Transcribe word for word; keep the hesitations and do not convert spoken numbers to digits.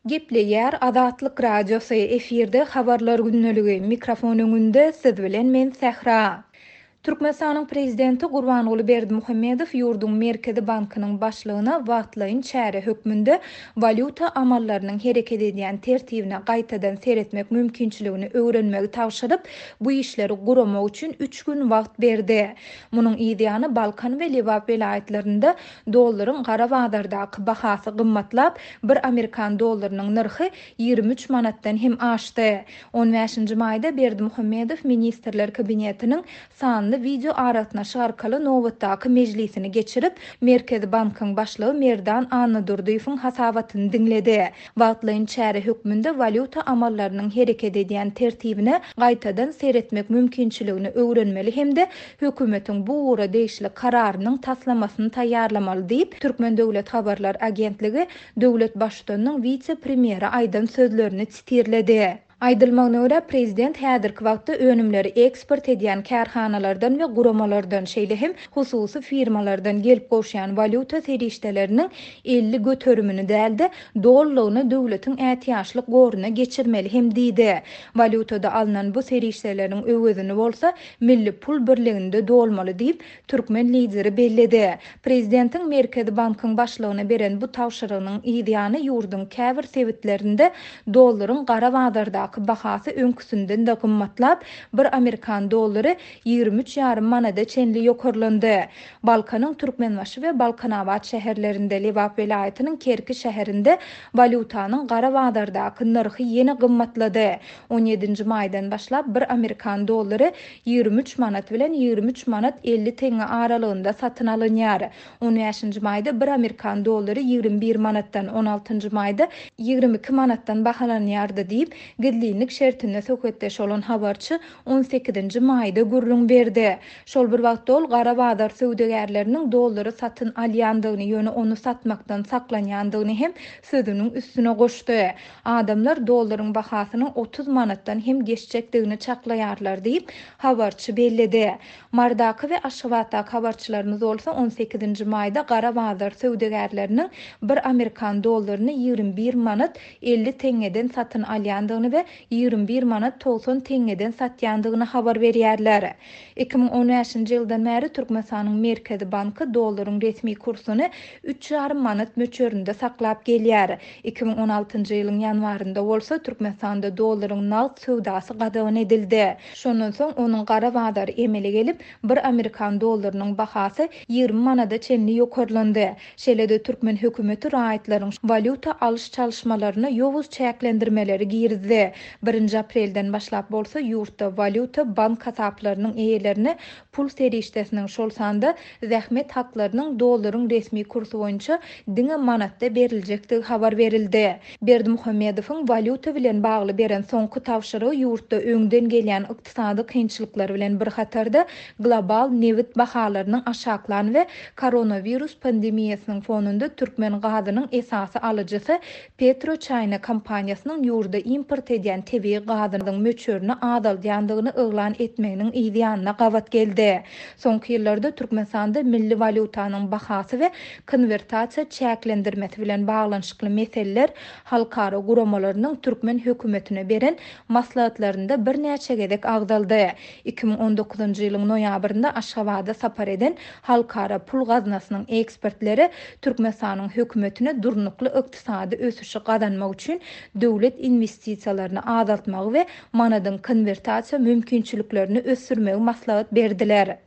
Gepleýär Azatlyk Radiosy, efirde Habarlar gündeligi, mikrofon öňünde siz bilen men Sähra. Türkmenistanyň Prezidenti Gurbanguly Berdimuhamedow ýurduň Merkezi bankynyň başlygyna wagtlaýyn çäre hökmünde walýuta amallarynyň hereket edýän tertibine gaýtadan seretmek mümkinçiligini öwrenmegi tabşyryp, bu işleri guramak üçin üç gün wagt berdi. Munuň yzýany Balkan we Lebap welaýatlarynda dollaryň gara bazardaky bahasy gymmatlap, bir amerikan dollarynyň nyrhy ýigrimi üç manatdan hem aşdy. On bäşinji maýda Berdimuhamedow Ministrler Kabinetiniň sanly wideo aragatnaşyk arkaly nobatdaky mejlisini geçirip, Merkezi bankyň başlygy Merdan Annadurdyýewiň hasabatyny diňledi. Wagtlaýyn çäre hökmünde walýuta amallarynyň hereket edýän tertibine gaýtadan seretmek mümkinçiligini öwrenmeli hem-de hökümetiň bu ugra degişli kararynyň taslamasyny taýýarlamaly diýip, Türkmen döwlet habarlar agentligi döwlet baştutanynyň wise-premýere aýdan sözlerini sitirledi. Aýdylmagyna görä, prezident häzirki wagtda önümleri eksport edýän kärhanalardan we guramalardan, şeýle hem hususy firmalardan gelip gowuşýan walýuta serişdeleriniň elli göterimini däl-de, dolulygyna döwletiň ätiýaçlyk goruna geçirmeli hem diýdi. Walýutada alnan bu serişdeleriň öwezini bolsa milli pul birliginde dolmaly diýip, türkmen lideri belledi. Prezidentiň Merkezi bankyň başlygyna beren bu tabşyrygynyň yzýany ýurduň käbir sebitlerinde dollaryň gara bazardaky bahasy öňküsinden-de gymmatlap, bir amerikan dollary ýigrimi üç ýarym manada çenli ýokarlandy. Balkanyň Türkmenbaşy we Balkanabat şäherlerinde, Lebap welaýatynyň Kerki şäherinde walýutanyň gara bazardaky nyrhy ýene gymmatlady. On ýedinji maýdan başlap bir amerikan dollary ýigrimi üç manat bilen ýigrimi üç manat elli teňňe aralygynda satyn alynýar. On bäşinji maýda bir amerikan dollary ýigrimi bir manatdan, on altynjy maýda ýigrimi iki manatdan bahalanýardy diýip, gizlinlik şertinde söhbetdeş bolan habarçy on sekizinji maýda gürrüň berdi. Şol bir wagtda ol gara bazar söwdagärleriniň dollary satyn alýandygyny, ýöne ony satmakdan saklanýandygyny hem sözüniň üstüne goşdy. Adamlar dollaryň bahasynyň otuz manatdan hem geçjekdigini çaklaýarlar diýip, habarçy belledi. Mardaky we Aşgabatdaky habarçylarymyz bolsa on sekizinji maýda gara bazar söwdagärleriniň bir amerikan dollaryny ýigrimi bir manat elli teňňeden satyn alýandygyny we ýigrimi bir manat togsan teňňeden satýandygyny habar berýärler. Iki müň on bäşinji ýyldan bäri Türkmenistanyň Merkezi banky dollaryň resmi kursuny üç ýarym manat möçberinde saklap gelýär. Iki müň on altynjy ýylyň ýanwarynda bolsa Türkmenistanda dollaryň nagt söwdasy gadagan edildi. Şondan soň onuň gara bazary emele gelip, bir amerikan dollarynyň bahasy ýigrimi manada çenli ýokarlandy. Şeýle-de türkmen hökümeti raýatlaryň walýuta alyş çalyşmalaryna ýowuz çäklendirmeleri girizdi. Birinji aprelden başlap bolsa ýurtda walýuta bank hasaplarynyň eýelerine pul serişdesiniň, şol sanda zähmet haklarynyň dollaryň resmi kursy boýunça diňe manatda beriljekdigi habar berildi. Berdimuhamedowyň walýuta bilen bagly beren soňky tabşyrygy ýurtda öňden gelýän ykdysady kynçylyklar bilen bir hatarda global nebit bahalarynyň aşaklan we koronawirus pandemiýasynyň fonunda türkmen gazynyň esasy alyjysy PetroChina kompaniýasynyň ýurda import edýän tebigy gazynyň möçberini azaldýandygyny yglan etmeginiň yzýanyna gabat geldi. Soňky ýyllarda Türkmenistanda milli walýutanyň bahasy we konwertasiýa çäklendirmesi bilen baglanyşykly meseleler halkara guramalarynyň türkmen hökümetine beren maslahatlarynda birnäçe gezek agzaldy. Iki müň on dokuzynjy ýylyň noýabrynda Aşgabada sapar eden Halkara Pul Gaznasynyň ekspertleri Türkmenistanyň hökümetine durnukly ykdysady ösüşi gazanmak üçin döwlet investisiýalaryny azaltmagy we manadyň konwertasiýa mümkinçiliklerini ösdürmegi maslahat berdiler.